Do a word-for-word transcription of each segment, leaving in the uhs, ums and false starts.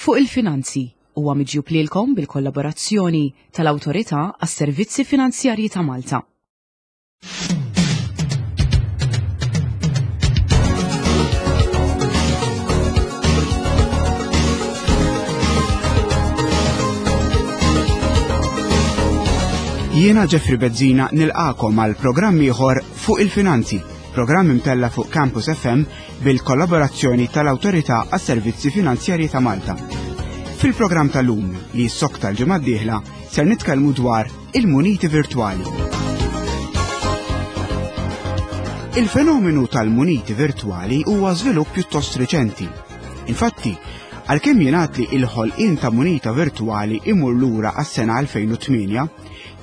Fuq il-Finanzi huwa miġjub lilkom bil-kollaborazzjoni tal-Awtorità għas-Servizzi Finanzjarji ta' Malta. Jiena Jeffrey Bezzina nilqakom għal programm ieħor Fuq il-Finanzi, programm imtella fuq Campus F M bil-kollaborazzjoni tal-Awtorità għas-Servizzi Finanzjarji ta' Malta. Fil-programm tal-lum li jissokta l-ġimgħa d-dieħla ser nitkellmu dwar il-muniti virtwali. Il-fenomenu tal-muniti virtwali huwa żvilupp pjuttost riċenti. Infatti, għalkemm jingħad li l-ħolqien ta' munita virtwali imur lura għas-sena elfejn u tmienja,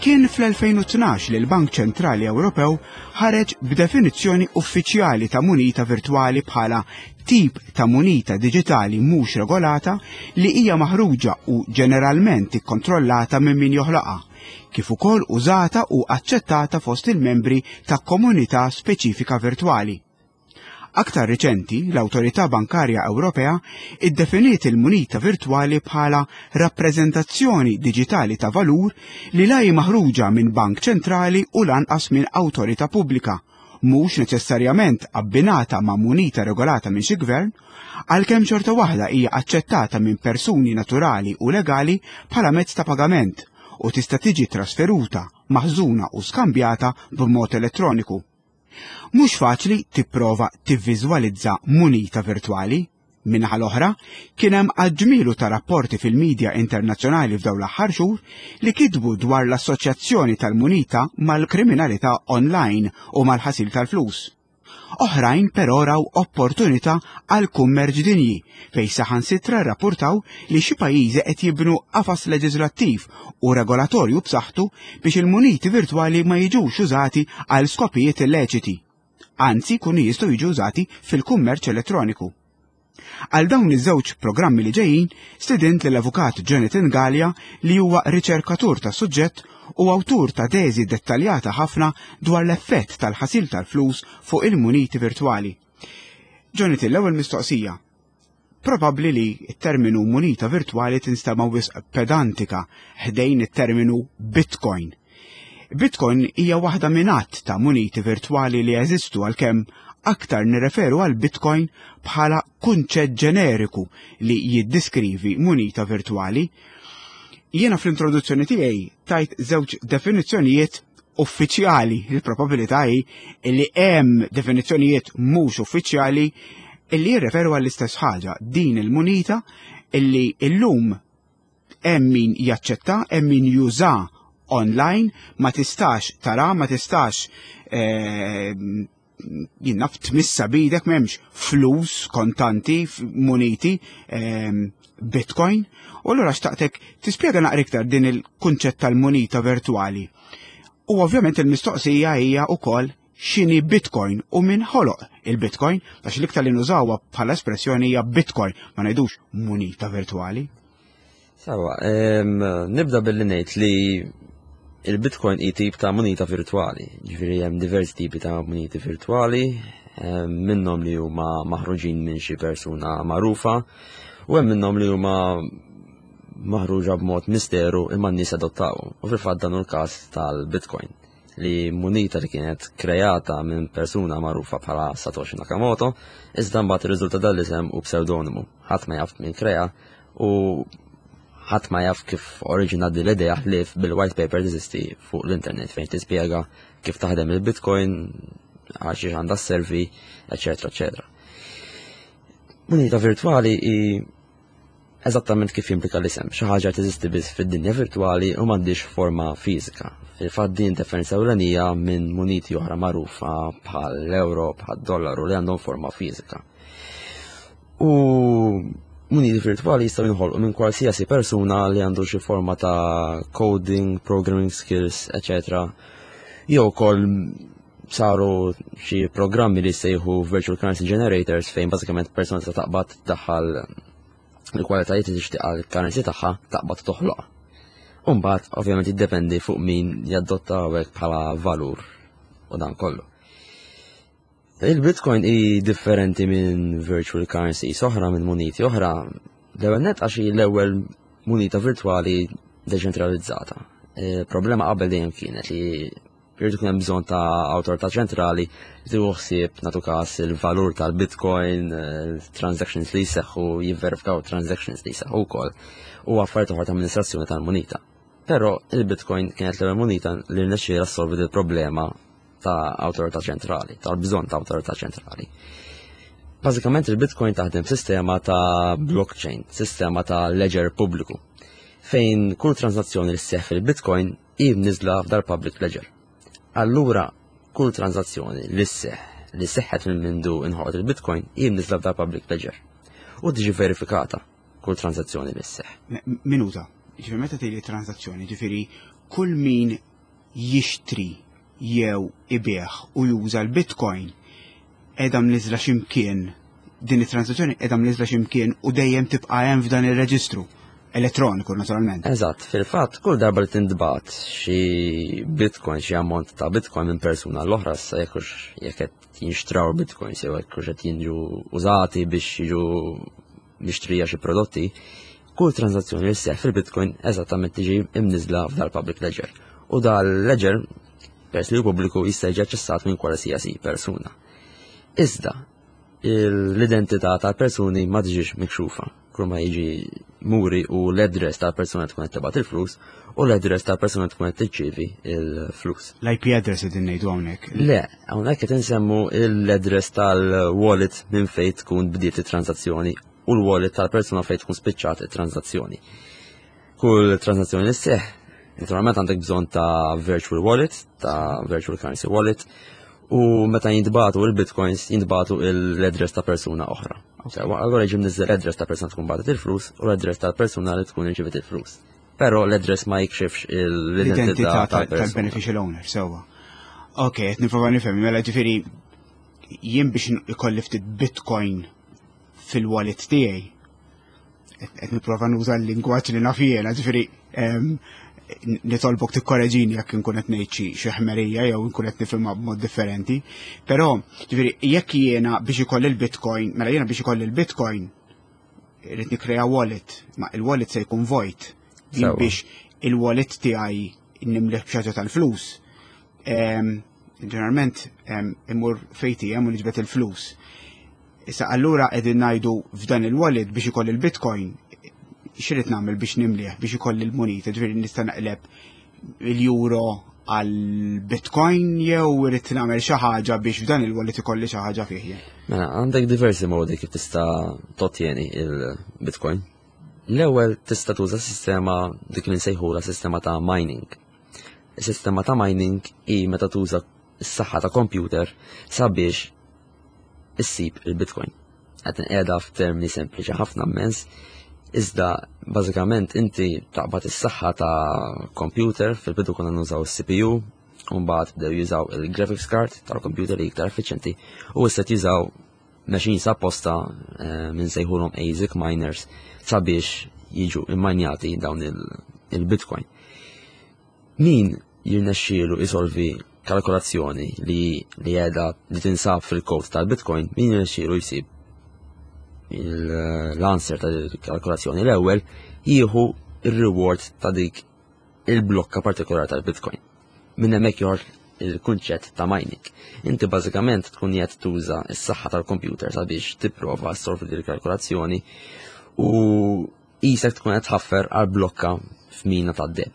kien fl-elfejn u tnax li l-Bank Ċentrali Ewropew ħareġ b'definizzjoni uffiċjali ta' munita virtwali bħala tip ta' munita diġitali mhux regolata li hija maħruġa u ġeneralment ikkontrollata minn min joħloqha, kif ukoll użata u aċċettata fost il-membri ta' komunità speċifika virtwali. Aktar riċenti, l-Awtorità Bankarja Ewropea iddefiniet il-munita virtwali bħala rappreżentazzjoni diġitali ta' valur li la hi maħruġa minn bank ċentrali u lanqas minn awtorità pubblika, mhux neċessarjament abbinata ma' munita regolata minn xi gvern, għalkemm xorta waħda hija aċċettata minn persuni naturali u legali bħala mezz ta' pagament u tista' tiġi trasferuta, maħżuna u skambjata b'mod elettroniku. Mhux faċli tipprova tivviżwalizza munita virtwali. Min-naħa l-oħra, kien hemm għaġġmielu ta' rapporti fil-medja internazzjonali f'dawn l-aħħar xhur li kitbu dwar l-assoċjazzjoni tal-munita mal-kriminalità online u mal-ħasil tal-flus. Oħrajn però raw opportunità għal kummerċ dinji fejn saħansitra rrapportaw li xi pajjiżi qed jibnu qafas leġislattiv u regolatorju b'saħħtu biex il-muniti virtwali ma jiġux użati għal skopijiet illeċiti. Anzi, jkunu jistgħu jiġu użati fil-kummerċ elettroniku. Għal dawn iż-żewġ programmi li ġejjin, stedint lill-Avukat Jonathan Galea li huwa riċerkatur ta' suġġett u awtur ta' teżi dettaljata ħafna dwar l-effett tal-ħasil tal-flus fuq il-muniti virtwali. Jonathan, l-ewwel mistoqsija. Probabbli li t-terminu munita virtwali tinstema' wisq pedantika ħdejn it-terminu Bitcoin. Bitcoin hija waħda minn għadd ta' muniti virtwali li jeżistu għalkemm aktar nirreferu għal Bitcoin bħala kunċett ġeneriku li jiddiskrivi munita virtwali. Jiena fl-introduzzjoni tiegħi tajt żewġ definizzjonijiet uffiċjali. Il-probabilità hi li hemm definizzjonijiet mhux uffiċjali illi jirreferu għall-istess ħaġa, din il-munita illi illum hemm min jaċċetta, hemm min juża online, ma tistax tara, ma tistax, eh, jien naf tmissa bidek, m'hemmx flus kontanti, f-, muniti, ehm, Bitcoin. U allura xtaqtek tispjega naqra iktar din il-kunċett tal-munita virtwali. U ovvjament il-mistoqsija hija wkoll x'inhi Bitcoin u min ħoloq il-Bitcoin, għax l-iktar li nużawha bħala espressjoni hija Bitcoin, ma ngħidux munita virtwali. Sawa, ehm, nibda billi ngħid li il-Bitcoin hi tip ta' munita virtwali, ġifieri hemm diversi tipi ta' muniti virtwali, ehm, minnhom li huma maħruġin minn xi persuna magħrufa u hemm minnhom li huma maħruġa b'mod misteru imma n-nies adottawhom. U fil-fatt dan hu l-każ tal-Bitcoin, li munita li kienet kreata minn persuna magħrufa bħala Satoshi Nakamoto, iżda mbagħad irriżulta dan l-isem u pseudonimu. Ħadd ma jaf min krea u ħadd ma jaf kif oriġina din l-idea ħlief bil-white paper teżisti fuq l-internet fejn tispjega kif taħdem il-Bitcoin, għal xiex għandha sservi, eċetera, eċetera. Munita virtwali hi eżattament kif jimplika l-isem, xi ħaġa teżisti biss fid-dinja virtwali u m'għandix forma fiżika. Fil-fatt din differenza ewlenija minn muniti oħra magħrufa bħal l-euro, bħal dollaru li għandhom forma fiżika. U muniti virtwali jistgħu jinħolqu minn qualsiasi persuna li għandu xi forma ta' coding, programming skills, eċetera. Jew ukoll saru xi programmi li jsejħu virtual currency generators fejn bażikament persuna tista' taqbad tdaħħal il-kwalitajiet li tixtieq għall-currency tagħha taqbad toħloqha. U mbagħad ovvjament jiddependi fuq min jadotta hawnhekk bħala valur u dan kollu. Il-Bitcoin hi differenti minn virtual currency oħra, minn muniti oħra, L-ewwel net għax hi l-ewwel munita virtwali deċentralizzata. Problema qabel dejjem kienet li jrid ikun hemm bżonn ta' awtorità ċentrali li tieħu ħsieb, nagħtu każ, il-valur tal-Bitcoin, transactions li jseħħu, jivverifikaw transactions li jseħħu wkoll u affarijiet oħra ta' amministrazzjoni tal-munita. Però il-Bitcoin kienet l-ewwel munita li rnexxielha ssolvi il-problema ta' awtorità ċentrali, tal-bżonn ta' awtorità ċentrali. Bażikament il-Bitcoin taħdem sistema ta' blockchain, sistema ta' ledger pubbliku, fejn kull transazzjoni li sseħħ fil-Bitcoin hi mniżla f'dal public ledger. Allura, kull transazzjoni li sseħħ li seħħet minn mindu inħolqot il-Bitcoin hi mniżla f'dal public ledger. U tiġi verifikata kull transazzjoni li sseħħ. Minuta, ġifieri meta tgħidli transazzjoni, ġifieri kull min jixtri jew ibigħ u juża l-Bitcoin qiegħda mniżla x'imkien, din it-transazzjoni qiegħda mniżla x'imkien u dejjem tibqa' hemm f'dan ir-reġistru elettroniku, naturalment. Eżatt, fil-fatt kull darba li tintbagħat xi Bitcoin, xi ammont ta' Bitcoin minn persuna l-oħra, sa jekk jekk qed jinxtraw Bitcoins jew jekk qed jiġu użati biex jiġu mixtrija xi prodotti, kull transazzjoni li sseħħ fil-Bitcoin eżattament tiġi imniżla f'dal public ledger. U dal-ledger, peress li pubbliku, jista' jiġi aċċessat minn qualsiasi persuna. Iżda, l-identità tal-persuni ma tiġix mikxufa. Kull ma jiġi muri u l-address tal-persuna tkun qed tibgħat il-flus u l-address tal-persuna tkun qed tirċievi il-flus. L-I P address qegħdin ngħidu hawnhekk? Le, hawnhekk qed insemmu l-address tal-wallet minn fejn tkun bdiet it-transazzjoni u l-wallet tal-persuna fejn tkun spiċċat it-transazzjoni. Kull transazzjoni li sseħħ, naturalment għandek bżonn ta' virtual wallet, ta' virtual currency wallet, u meta jintbagħtu il-bitcoins jintbagħtu l-address ta' persuna oħra. Sewa, allora jiġi mniżżel l-address ta' persuna tkun bagħtet il-flus u l-address ta' persuna li tkun irċivet il-flus. Però l-address ma jikxifx l-identità tal-beneficial owner, sewa. Ok, qed nipprova nifhem, mela ġifieri jien biex ikolli ftit Bitcoin fil-wallet tiegħi, qed nipprova nuża l-lingwaġġ li naf jiena, ġifieri nitolbok tikkoreġini jekk nkun qed ngħid xi ħmerija jew nkun qed nifhimha b'mod differenti. Però ġifieri jekk jiena biex ikolli l-Bitcoin, mela jiena biex ikolli l-Bitcoin irrid nikkrea wallet, ma il-wallet se jkun vojt. Jien biex il-wallet tiegħi nimlih b'xi ħaġa tal-flus. Ġeneralment immur f'A T M u niġbed il-flus. Issa allura qegħdin ngħidu f'dan il-wallet biex ikolli l-Bitcoin, x'irrid nagħmel biex nimlih, biex ikolli l-munita? Ġifieri nista' naqleb il-euro għal Bitcoin jew irrid nagħmel xi ħaġa biex f'dan il-wallet ikolli xi ħaġa fih jien? Mela, għandek diversi modi kif tista' tottieni il-Bitcoin. L-ewwel tista' tuża sistema dik li nsejħula sistema ta' mining. Is-sistema ta' mining hi meta tuża s-saħħa ta' computer sabiex issib il-Bitcoin. Qed nqiegħda f'termini sempliċi ħafna immens, iżda bażikament inti taqbad is-saħħa ta' computer, fil-bidu konna nużaw is-C P U, u mbagħad bdew jużaw il-graphics card tal-computer li iktar effiċjenti u issa jużaw machines apposta eh, minn sejħulhom ASIC miners sabiex jiġu immanjati dawn il-Bitcoin. Min jirnexxielu isolvi kalkolazzjoni li li qiegħda li tinsab fil-kod tal-Bitcoin, min jirnexxielu jsib l-answer tal-kalkolazzjoni l-ewwel jieħu il-reward ta' dik il-blokka partikolari tal-Bitcoin. Minn hemmhekk joħroġ il-kunċett ta' mining. Inti bażikament tkun qed tuża s-saħħa tal-computer sabiex tipprova ssolvi din il-kalkolazzjoni u qisek tkun qed tħaffer għal blokka f'mina tad-deheb.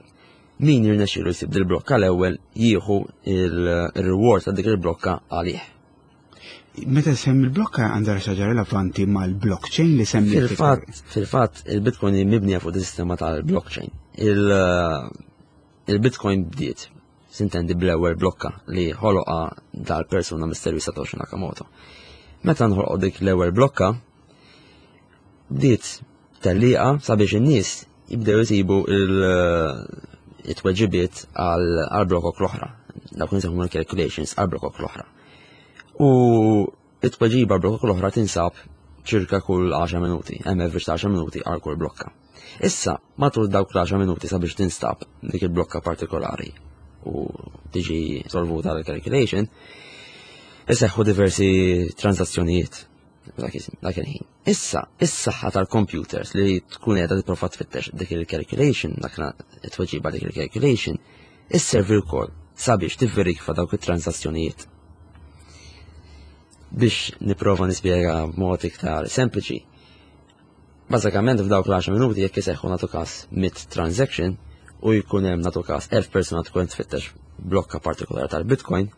Min jirnexxielu jsib dil-blokka l-ewwel jieħu il-reward ta' dik il-blokka għalih. Meta semmi il-blokka, għandha xi ħaġa relevanti mal-blockchain li semmi? Fil-fatt, fil-fatt il-Bitcoin mibnija fuq sistema tal-blockchain. Il-Bitcoin bdiet, sintendi, bl-ewwel blokka li ħoloqa dal-persuna misterju Satoshi Nakamoto. Meta nħolqu dik l-ewwel blokka, bdiet tellieqa sabiex in-nies jibdew jisibu il-tweġibiet għal blokok l-oħra. Dawk nsejħu calculations għal blokok l-oħra. U it-tweġiba blokok l-oħra tinsab ċirka kull għaxar minuti, hemm average ta' għaxar minuti għal kull blokka. Issa, matul dawk l-għaxar minuti sabiex tinstab dik il-blokka partikolari u tiġi solvuta l-calculation, iseħħu diversi transazzjonijiet. Dak il-ħin. Issa, is-saħħa tal-computers li tkun qiegħda tipprova tfittex dik il-calculation, dak it-tweġiba dik il-calculation, isservi wkoll sabiex tivverifika dawk it-transazzjonijiet. Biex nipprova nispjega b'mod iktar sempliċi. Bażikament, f'dawk l-għaxar minuti, jekk iseħħu, nagħtu każ, mitt transaction u jkun hemm, nagħtu każ, elf persuna tkun tfittex blokka partikolari tal-Bitcoin,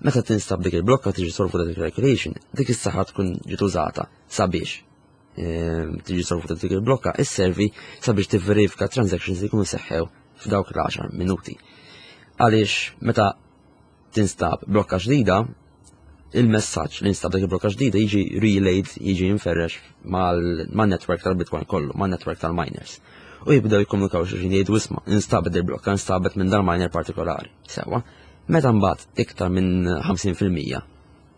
meta tinstab dik il-blokka, tiġi solvuta dik il-calculation, dik is-saħħa tkun ġiet użata sabiex ehm, tiġi solvuta dik il-blokka, isservi sabiex tivverifika transactions li jkunu seħħew f'dawk l-għaxar minuti. Għaliex meta tinstab blokka ġdida, il-messaġġ li instab dik il-blokka ġdida jiġi relayed, jiġi inferrex mal-network tal-Bitcoin kollu, mal-network tal-miners. U jibdew jikkomunikaw xulxin, jgħidu: "Isma', instabet il-blokka, instabet minn dal-miner partikolari." Sewa, meta mbagħad iktar minn ħamsin fil-mija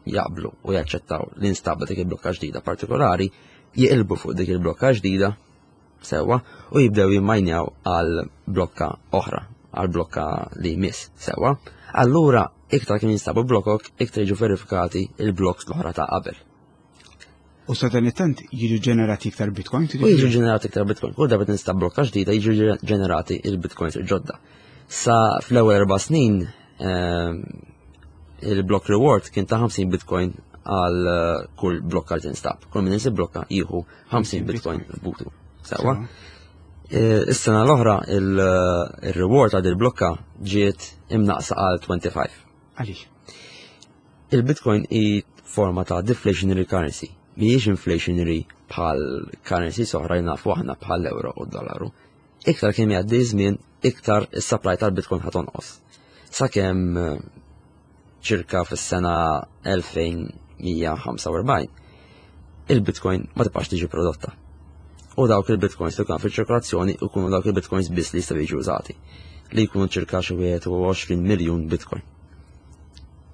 jaqblu u jaċċettaw li instabet dik il-blokka ġdida partikolari, jiqilbu fuq dik il-blokka ġdida, sewa, u jibdew jimmajnjaw għal blokka oħra, għal blokka li jmiss, sewa. Allura, iktar kien jinstabu blokok, iktar jiġu verifikati il-blocks l-oħra ta' qabel. U sa dan it-tant jiġu ġenerati iktar Bitcoin? U jiġu ġenerati iktar Bitcoin. Kull darba tinstab blokka ġdida, jiġu ġenerati il-Bitcoins il-ġodda. Sa fl-ewwel erba' snin ehm, il-block reward kien ta' ħamsin Bitcoin għal eh, kull blokka li tinstab. Kull min insib blokka jieħu ħamsin Bitcoin f'butu. Sewa. Eh, is-sena l-oħra il-reward għal il-blokka ġiet imnaqsa għal twenty-five. Għaliex? Il-Bitcoin hi forma ta' deflationary currency. Mhijiex inflationary bħal currency oħra nafu aħna, bħal euro u dollaru. Iktar kemm jgħaddi żmien, iktar is-supply tal-Bitcoin ħa tonqos. Sakemm eh, ċirka fis-sena elfejn u mija u ħamsa u erbgħin il-Bitcoin ma tibqax tiġi prodotta. U dawk il-Bitcoins li kan fil-ċirkolazzjoni ikunu dawk il-Bitcoins biss li jistgħu jiġu użati, li jkunu ċirka xi wieħed u għoxrin miljun Bitcoin.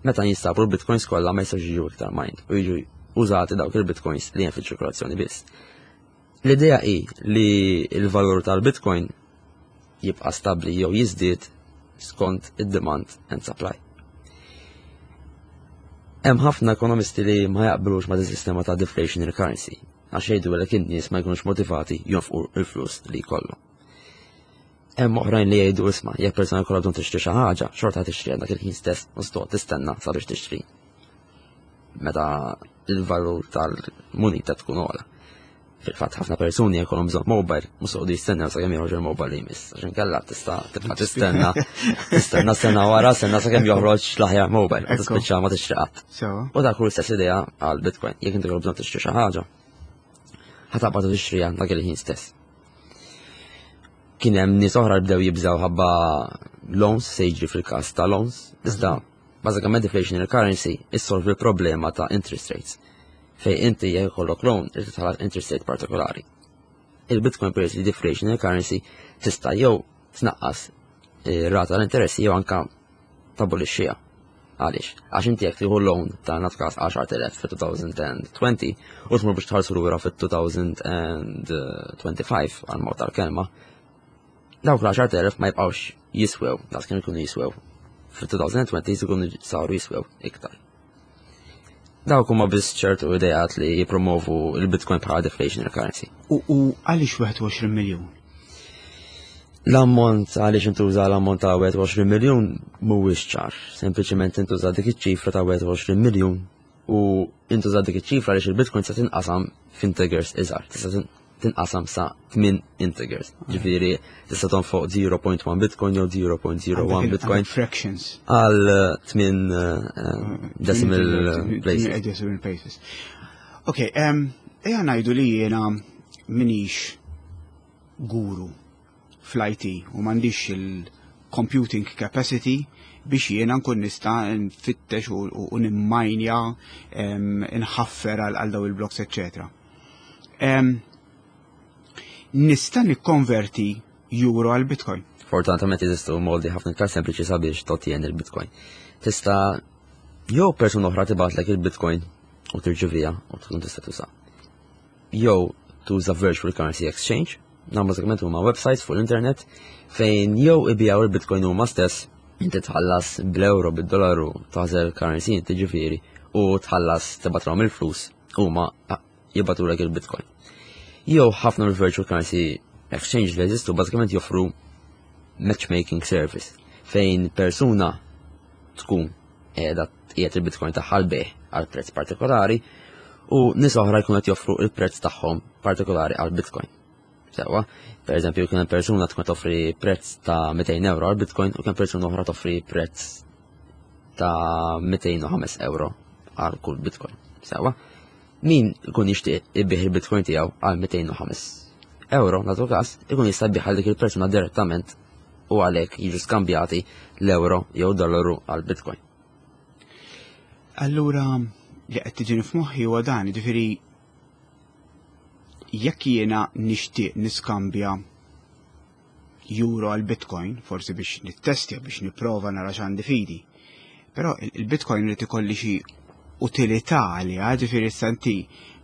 Meta jinstabu l-Bitcoins kollha, ma jistgħux jiġu iktar mined u jiġu użati dawk il-Bitcoins li hemm fil-ċirkolazzjoni biss. L-idea hi li l-valur tal-Bitcoin jibqa' stabbli jew jiżdied skont id-demand and supply. Hemm ħafna ekonomisti li ma jaqblux ma' sistema ta' deflationary currency, għax jgħidu li in-nies ma jkunux motivati jonfqu il-flus li jkollhom. Hemm oħrajn li jgħidu: "Isma', jekk persuna jkollha bżonn tixtri xi ħaġa, xorta tixtri dak il-ħin stess u toqgħod tistenna sabiex tixtri meta il-valur tal-munita tkun ogħla." Fil-fatt, ħafna persuni jkollhom bżonn mobile, mhux joqogħdu jistennew sakemm joħroġ il-mobile li jmiss. Għax inkella tista' tibqa' tistenna, tistenna sena wara sena sakemm joħroġ l-aħjar mobile, u tispiċċa ma tixtri qatt. U dak hu l-istess idea għal Bitcoin: jekk inti bżonn tixtri xi ħaġa, ħa taqbad tixtriha dak il-ħin stess. Kien hemm nies oħra li bdew jibżgħu ħabba loans, se jiġri fil-każ ta' loans, iżda bażikament deflationary currency issolvi l-problema ta' interest rates, fej inti jekk ikollok loan, irid tħallas interest rate partikolari. Il-Bitcoin, peress li deflationary currency, tista' jew tnaqqas rata l-interessi jew anka tabolixxiha. Għaliex? Għax inti jekk tieħu loan ta', nagħtu każ, għaxart elef fit-elfejn u għoxrin u tmur biex tħallsu lura fit-elfejn u twenty-five, għal mod tal-kelma, dawk l-għaxart elef ma jibqgħux jiswew daqs kemm ikunu jiswew fit-elfejn u għoxrin, ikunu saru jiswew iktar. Dawk huma biss ċertu ideat li jipromovu il-Bitcoin bħala deflationary currency. U għaliex wieħed u għoxrin miljun? L-ammont, għaliex intuża l-ammont ta' wieħed u għoxrin miljun mhuwiex ċar. Sempliċement intuża dik iċ-ċifra ta' wieħed u għoxrin miljun u intuża dik iċ-ċifra għaliex il-Bitcoin se tinqasam f'integers iżgħar. Tista' tinqasam sa tmien integers. Ġifieri tista' tonfoq zero punt wieħed Bitcoin jew zero punt zero wieħed Bitcoin. Fractions. Għal tmien decimal places. Decimal places. Ok, ejja ngħidu li jiena minix guru fl-I T u m'għandix il-computing capacity biex jiena nkun nista' nfittex u nimmajnja, nħaffer għal daw il-blocks, eccetera. Nista' nikkonverti euro għal Bitcoin? Fortunatament jeżistu modi ħafna iktar sempliċi sabiex totjen il-Bitcoin. Tista' jew persuna oħra tibgħatlek il-Bitcoin u tirċiviha u tkun tista' tuża. Jew tuża virtual currency exchange, nam bażikament huma websites fuq l-internet fejn jew ibigħu il-Bitcoin huma stess, inti tħallas bl-euro, bid-dollaru, tagħżel currency inti ġifieri u tħallas, tibgħatlhom il-flus. Huma jibagħtulek il-Bitcoin. Jew ħafna mill-virtual currency exchange li jeżistu bażikament joffru matchmaking service fejn persuna tkun qiegħda tqiegħed il-Bitcoin tagħha għall-bejgħ għal prezz partikolari u nies oħra jkunu qed joffru il-prezz tagħhom partikolari għal Bitcoin. Sewwa, per eżempju, kien persuna tkun toffri prezz ta' mitejn euro għal Bitcoin u kien persuna oħra toffri prezz ta' mitejn u ħames euro għal kull Bitcoin. Sewwa, min ikun jixtieq ibigħ il-Bitcoin tiegħu għal mitejn u ħames euro, nagħtu każ, ikun jista' jbigħ għal dik il-persuna direttament u għalhekk jiġu skambjati l-euro jew dollaru għal Bitcoin. Allura, li qed tiġini f'moħħi huwa dan, jiġifieri jekk jiena nixtieq niskambja euro għal Bitcoin, forsi biex nittestja, biex nipprova nara x'għandi f'idi. Però il-Bitcoin irid ikolli xi utilità għaliha, ġifieri issa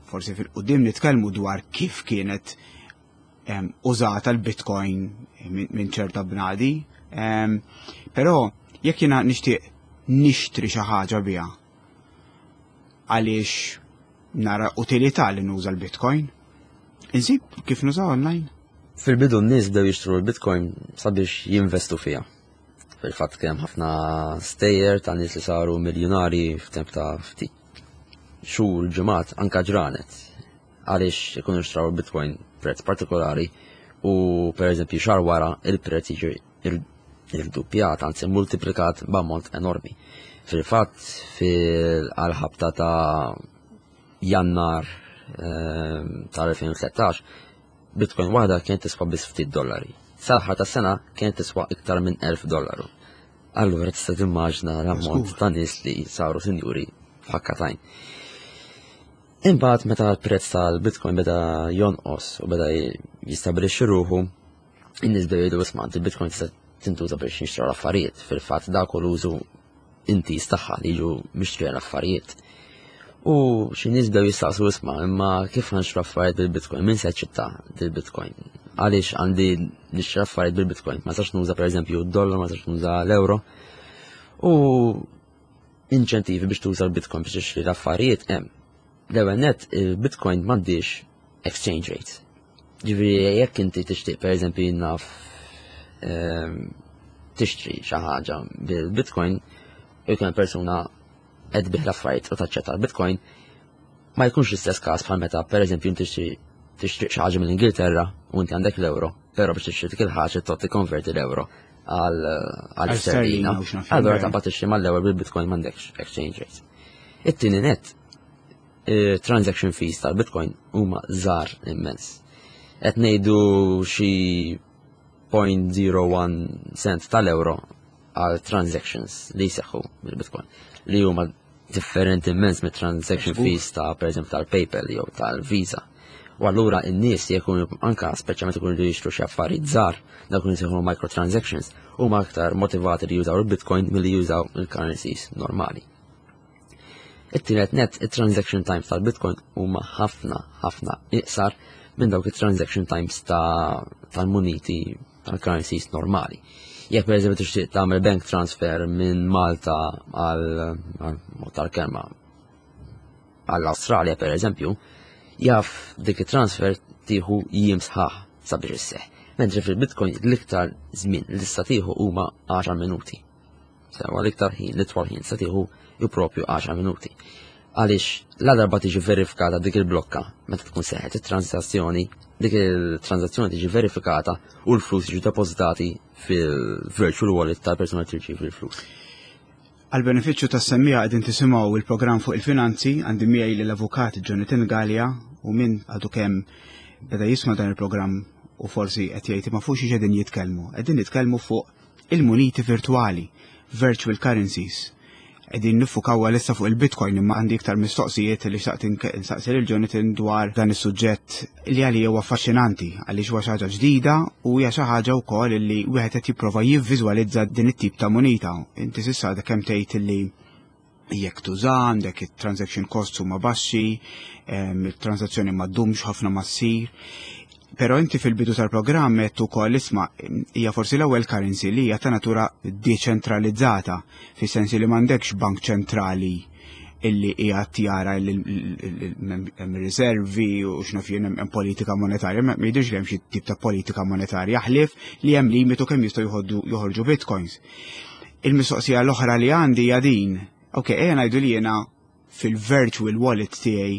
forsi fil-qudiem nitkellmu dwar kif kienet użata l-Bitcoin minn ċerta bnadi. Però jekk jiena nixtieq nixtri xi ħaġa biha għaliex nara utilità li nuża l-Bitcoin, insib kif nuża online? Fil-bidu n-nies bdew jixtru l-Bitcoin sabiex jinvestu fiha. Fil-fatt kien ħafna stejjer ta' nies li saru miljonari f'temp ta' ftit xhur, ġimgħat, anka ġranet. Għaliex ikunu xtraw il-Bitcoin prezz partikolari u per eżempju xahar wara il-prezz jiġi irduppjat, anzi multiplikat b'ammont enormi. Fil-fatt fil-ħabta ta' Jannar ehm, tal-elfejn u tlettax Bitcoin waħda kienet tiswa biss ftit dollari. Sal-aħħar tas-sena kienet tiswa iktar minn elf dollaru. Allura tista' timmaġna l-ammont ta' nies li saru sinjuri f'ħakka t'għajn. Imbagħad meta l-prezz tal-Bitcoin beda jonqos u beda jistabilixxi ruħu, in-nies bdew jgħidu, "Isma', il-Bitcoin tista' tintuża biex nixtru l-affarijiet." Fil-fatt dak l-użu intiż tagħha, li jiġu mixtrija l-affarijiet. U xi nies bdew jistaqsu, "Isma', imma kif nixtru affarijiet bil-Bitcoin? Min se jaċċetta bil-Bitcoin? Għaliex għandi nixtri affarijiet bil-Bitcoin? Ma nistax nuża pereżempju d-dollar, ma nistax nuża l-euro?" U inċentivi biex tuża l-Bitcoin biex tixtri l-affarijiet hemm. L-ewwel net, il-Bitcoin m'għandix exchange rate. Ġifieri jekk inti tixtieq, pereżempju, naf, ehm, tixtri xi ħaġa bil-Bitcoin u jkun persuna qed tbigħ l-affarijiet u taċċetta l-Bitcoin, ma jkunx l-istess każ bħal meta pereżempju inti tixtri xi ħaġa mill-Ingilterra u inti għandek l-euro, però biex tixtri dik il-ħaġa trid tikkonverti l-euro għal għal sterlina. Allura taqbad tixtri mal-ewwel bil-Bitcoin, m'għandekx exchange rate. It-tieni net, transaction fees tal-Bitcoin huma żgħar immens. Qed ngħidu xi zero punt zero wieħed cent tal-euro għal transactions li jseħħu bil-Bitcoin, li huma differenti immens mit transaction fees ta' per eżempju tal-PayPal jew tal-Visa. U allura n-nies jekun anka speċjalment ikunu li jixtru xi affarijiet żgħar, dawk li jsejħu microtransactions, huma aktar motivati li jużaw il-Bitcoin milli jużaw il-currencies normali. It-tielet net, il-transaction times tal-Bitcoin huma ħafna ħafna iqsar minn dawk il-transaction times tal-muniti, tal-currencies normali. Jekk per eżempju tixtieq tagħmel bank transfer minn Malta għal tal-kelma għall-Awstralja per eżempju, jaf dik il-transfer tieħu jiem sħaħ sabiex isseħ. Mentri fil-Bitcoin l-iktar żmien li tista' tieħu huma għaxar minuti. Sewwa, l-iktar ħin, l-itwal ħin sa tieħu ju propju għaxar minuti. Għaliex la darba tiġi verifikata dik il-blokka meta tkun seħħet it-transazzjoni, dik il-transazzjoni tiġi verifikata u l-flus jiġu depożitati fil-virtual wallet tal-persuna li tirċievi l-flus. Għal benefiċċju tas-semmiegħa, qegħdin tisimgħu il-programm fuq il-finanzi, għandi miegħi l-avukat Jonathan Gallia u min għadu kemm beda jisma' dan il-programm u forsi qed jgħid ma fuq xi qegħdin jitkellmu. Qegħdin nitkellmu fuq il-muniti virtuali, virtual currencies. Qegħdin niffukaw għalissa fuq il-Bitcoin, imma għandi iktar mistoqsijiet li xtaqt insaqsi lil Jonathan dwar dan is-suġġett li għalija huwa affaxxinanti għaliex huwa xi ħaġa ġdida u hija xi ħaġa wkoll li wieħed qed jipprova jivviżwalizza din it-tip ta' munita. Inti s'issa għadek kemm tgħid li jekk tuża għandek it-transaction costs huma baxxi, il-transazzjoni ma ddumx ħafna ma ssir. Però inti fil-bidu tal-programm qed ukoll, isma', hija forsi l-ewwel currency li hija ta' natura deċentralizzata, fis-sens li m'għandekx bank ċentrali Illi qiegħed jara li hemm riservi u x'naf jien, hemm politika monetarja, ma jidhirx li hemm xi tip ta' politika monetarja ħlief li hemm limitu kemm jistgħu joħorġu bitcoins. Il-mistoqsija l-oħra li għandi hija din. Ok, ejja ngħidu li jiena fil-virtual wallet tiegħi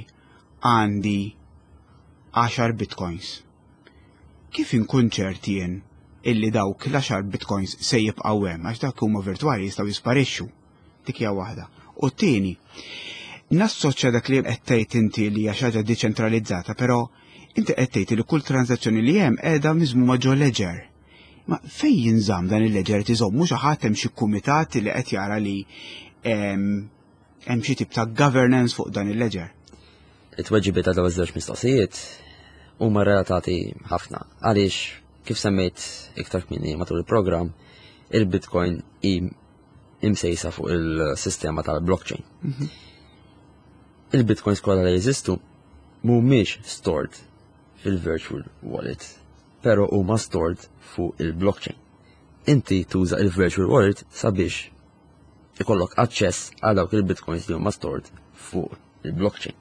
għandi għaxar bitcoins. Kif inkun ċert jien illi dawk l-għaxar bitcoins se jibqgħu hemm, għax dak huma virtwali, jistgħu jisparixxu? Dik hija waħda. U t-tieni, nassoċja dak li qed tgħid inti li hija xi ħaġa deċentralizzata, però inti qed tgħid li kull transazzjoni li hemm qiegħda miżmuma ġo ledger. Ma fejn jinżamm dan il-ledger? Tiżommu xi ħadd, hemm xi kumitat li qed jara li hemm xi tip ta' governance fuq dan il-ledger? It-tweġibiet ta' dawn iż-żewġ mistoqsijiet huma relatati ħafna għaliex, kif semmejt iktar kmieni matul il-programm, il-Bitcoin hi imsejsa fuq il-sistema tal-blockchain. Mhm. Il-Bitcoins kollha li jeżistu mhumiex stored fil-virtual wallet, pero huma stored fuq il-blockchain. Inti tuża il-virtual wallet sabiex ikollok aċċess għal dawk il-bitcoins li huma stored fuq il-blockchain.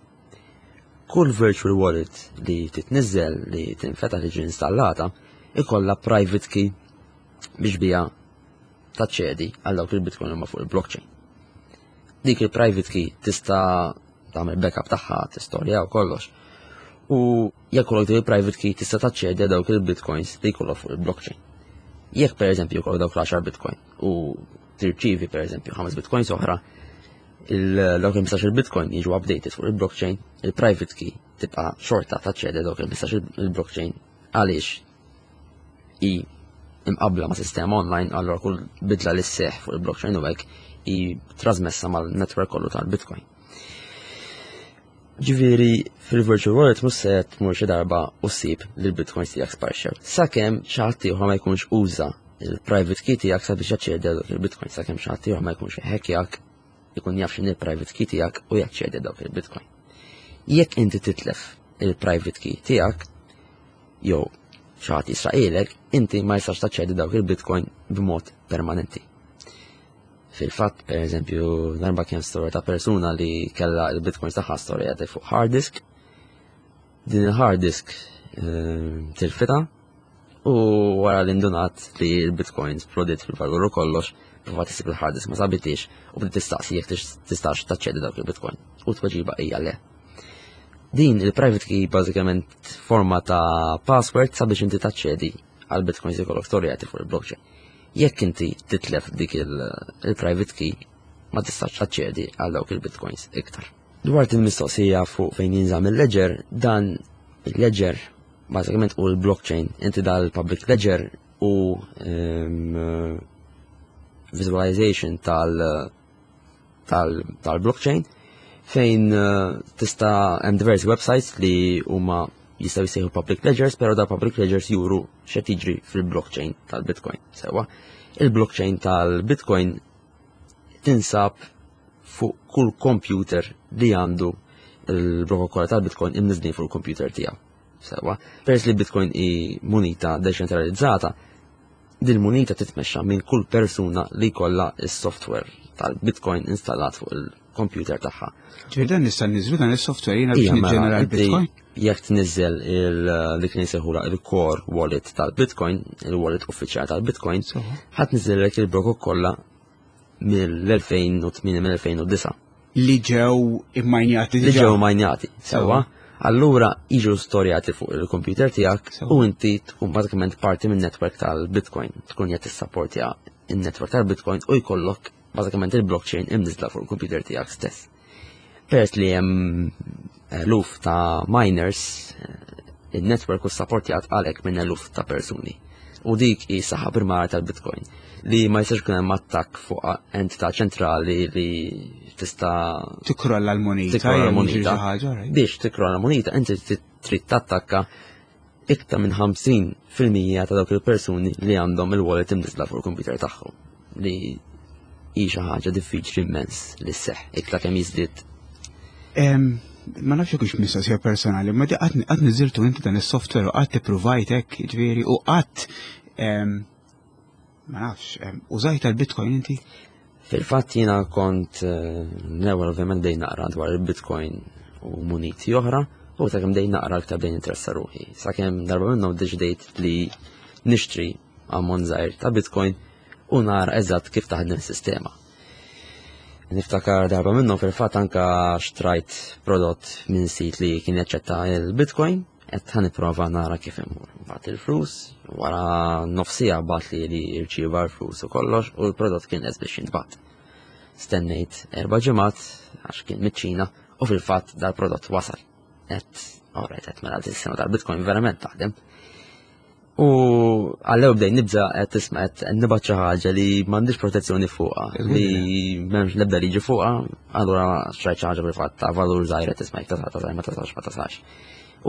Kull virtual wallet li titniżel, li tinfetaħ, li ġi installata, ikolla private key biex bija taċċedi għal dawk il-bitcoin huma fuq il-blockchain. Dik il-private key tista' tagħmel backup tagħha, tistorja u kollox. U jekk ikollok dik il-private key, tista' taċċedi għal dawk il-bitcoins li jkollok fuq il-blockchain. Jekk per eżempju jkollok dawk l-għaxar bitcoin u tirċivi per eżempju ħames bitcoins oħra, dawk il-ħmistax il-bitcoin jiġu updated fuq il-blockchain, il-private key tibqa' xorta taċċedi dawk il-ħmistax il-blockchain għaliex i imqabla ma' sistema online, allora kull bidla li sseħ fuq il-blockchain u hekk i trasmessa mal-network kollu tal-Bitcoin. Ġifieri, fil-virtual wallet mhux se tmur xi darba u ssib li l-bitcoins tiegħek sparxew. Sakemm xi ħadd ieħor ma jkunx uża il-private key tiegħek sabiex jaċċedi dawk il-bitcoin, sakemm xi ħadd ieħor ma jkunx hackjak, ikun jaf x'inhi il-private key tiegħek u jaċċedi dawk il-bitcoin. Jekk inti titlef il-private key tiegħek jew xi ħadd jisraqhielek, inti ma jistax taċċedi dawk il-bitcoin b'mod permanenti. Fil-fatt, per eżempju, darba kien storja ta' persuna li kella il-bitcoins tagħha storjati fuq hard disk. Din il-hard disk eh, tilfitha u wara li ndunat li l-bitcoins splodiet fil-valur u kollox, provat issib il-hard disk, ma sabitix, u bdiet tistaqsi jekk tistax taċċedi dawk il-bitcoin. U tweġiba hija le. Din il-private key bażikament forma ta' password sabiex inti taċċedi għal bitcoins jkollok storjati fuq il-blockchain. Jekk inti titlef dik il-private key, ma tistax taċċedi għal dawk il-bitcoins iktar. Dwar il-mistoqsija fuq fejn jinżamm il-ledger, dan il-ledger bażikament u l-blockchain, inti dal-public ledger u um, visualization tal- tal-blockchain fejn uh, tista' hemm diversi websites li huma jistgħu jsejħu public ledgers, però da public ledgers juru x'qed jiġri fil-blockchain tal-Bitcoin. Sewa, il-blockchain tal-Bitcoin tinsab fuq kull computer li għandu il-protokoll tal-Bitcoin imniżlin fuq il-computer tiegħu. Sewa, peress li Bitcoin hi munita deċentralizzata, din munita titmexxa minn kull persuna li kollha is-software tal-Bitcoin installat fuq il-computer tagħha. Ġifieri dan nista' niżlu dan is-software jiena biex Ija, mela, niġġenera inti l-Bitcoin? Jekk tniżel il- dik li nsejħula il-core wallet tal-Bitcoin, il-wallet uffiċjali tal-Bitcoin, ħa tniżżellek il-blokok kollha mill-elfejn u tmienja, mill-elfejn u disgħa. Li ġew immajnjati Li diġà. ġew majnjati, sewa. Allura jiġu storjati fuq il-computer tiegħek Sewa. u inti tkun bażikament parti minn network tal-Bitcoin, tkun qed tissapportja in-network tal-Bitcoin u jkollok bażikament il-blockchain imniżla fuq il-computer tiegħek stess. Peress li hemm eluf ta' miners, eh, il-network u supportjat għalhekk minn eluf ta' persuni. U dik hi saħħa primarja tal-Bitcoin li ma jistax ikun hemm attakk fuq entità ċentrali li tista' Tikrolla l-moneta. Tikrolla jew jiġri l-moneta. xi ħaġa, right? Biex tikrolla l-moneta inti trid tattakka iktar minn ħamsin fil-mija ta' dawk il-persuni li għandhom il-wallet imniżla fuq il-computer tagħhom, li hi xi ħaġa diffiċli immens li sseħħ iktar kemm jiżdied. Em, Ma nafx jekk hux mistoqsija personali, ma di qatt qatt niżiltu inti dan is-software u qatt ippruvajt hekk, ġifieri, u qatt em, ma nafx, em, użajt tal-Bitcoin inti? Fil-fatt jiena kont eh, l-ewwel ovvjament bdejt naqra dwar il-Bitcoin u muniti oħra, u sakemm bdejt naqra aktar bdejt ninteressa ruħi. Sakemm darba minnhom deċidejt li nixtri ammont żgħir ta' Bitcoin u nara eżatt kif taħdem is-sistema. Niftakar darba minnhom fil-fatt anka xtrajt prodott minn sit li kien jaċċetta il-Bitcoin, qed ħa nipprova nara kif imur. Bagħat il-flus, wara nofs siegħa bagħat li li rċieva l-flus u kollox u l-prodott kien lest biex jintbagħat. Stennejt erba' ġimgħat għax kien miċ-Ċina u fil-fatt dal-prodott wasal. Et, alright, et mela s-sistema tal-Bitcoin verament taħdem. U għallew bdejt nibża qed tisma' qed nibgħat xi ħaġa li m'għandix protezzjoni fuqha, li m'hemmx l-ebda liġi fuqha, allura xtrajt xi ħaġa fil-fatt ta' valur żgħir qed tisma' jekk tasal tasal ma tasalx ma tasalx.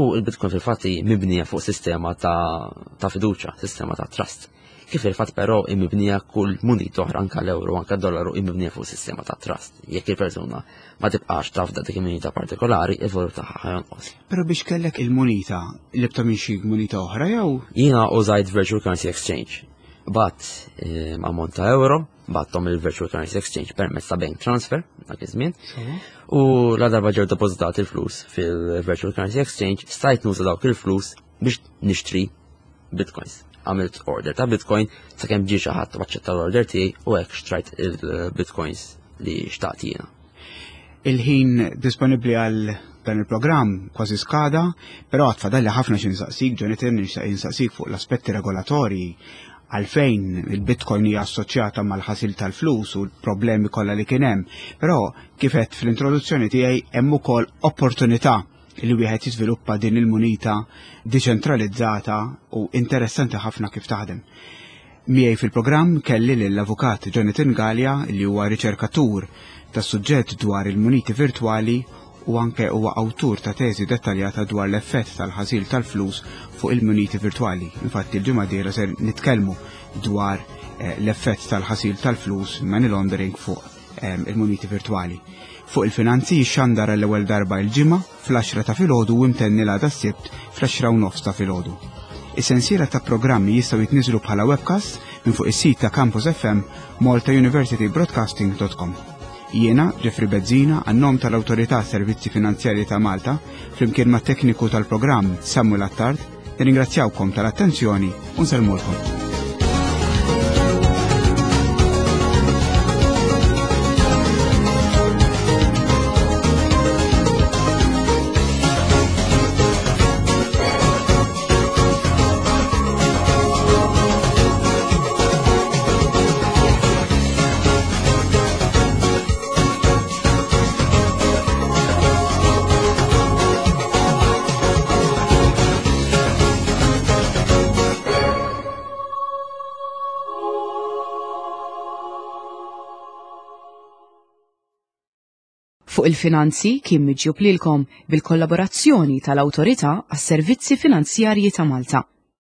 U il-Bitcoin fil-fatt hi mibnija fuq sistema ta' ta' fiduċja, sistema ta' trust. Kif fil-fatt però hi mibnija kull munita oħra, anka l-euro, anka d-dollaru hi mibnija fuq sistema ta' trust. Jekk il-persuna ma tibqax tafda dik il-munita partikolari, il-valur tagħha ħa jonqos. Però biex kellek il-munita, li minn xi munita oħra jew? Jiena użajt Virtual Currency Exchange. Bgħatt eh, ammont ta' euro, bgħatthom il-Virtual Currency Exchange permezz ta' bank transfer, dak iż-żmien. U la darba ġew depożitati il-flus fil-Virtual Currency Exchange, stajt nuża dawk il-flus biex nixtri Bitcoins. Għamilt order ta' Bitcoin sakemm ġie xi ħadd u aċċetta l-order tiegħi u hekk xtrajt il-Bitcoins li xtaqt jiena. Il-ħin disponibbli għal dan il-programm kważi skada, però għad fadalli ħafna xi nsaqsik, Jonathan, nixtieq insaqsik fuq l-aspetti regolatorji, għalfejn il-Bitcoin hija assoċjata mal-ħasil tal-flus u l-problemi kollha li kien hemm. Però kif għedt fl-introduzzjoni tiegħi hemm ukoll opportunità li wieħed jiżviluppa din il-munita deċentralizzata u interessanti ħafna kif taħdem. Miegħi fil-programm kelli lill-avukat Jonathan Galea, li huwa riċerkatur tas-suġġett dwar il-muniti virtwali u anke huwa awtur ta' teżi dettaljata dwar l-effett tal-ħasil tal-flus fuq il-muniti virtwali. Infatti l-ġimgħa dieħla ser nitkellmu dwar eh, l-effett tal-ħasil tal-flus, money laundering, fuq eh, il-muniti virtwali. Fuq il-Finanzi jixxandar l-ewwel darba il-Ġimgħa fl-għaxra ta' filgħodu u imtenni l-għada s-Sibt fl-għaxra u nofs ta' filgħodu. Is-sensiela ta' programmi jistgħu jitniżlu bħala webcast minn fuq is-sit ta' Campus F M malta university broadcasting dot com. Jiena, Jeffrey Bezzina, għan-nom tal-Awtorità Servizzi Finanzjarji ta' Malta, flimkien ma' tekniku tal-programm Samuel Attard, nirringrazzjawkom tal-attenzjoni u nsellmulkom. Fuq il-Finanzi kien miġjub lilkom bil-kollaborazzjoni tal-Awtorità għas-Servizzi Finanzjarji ta' Malta.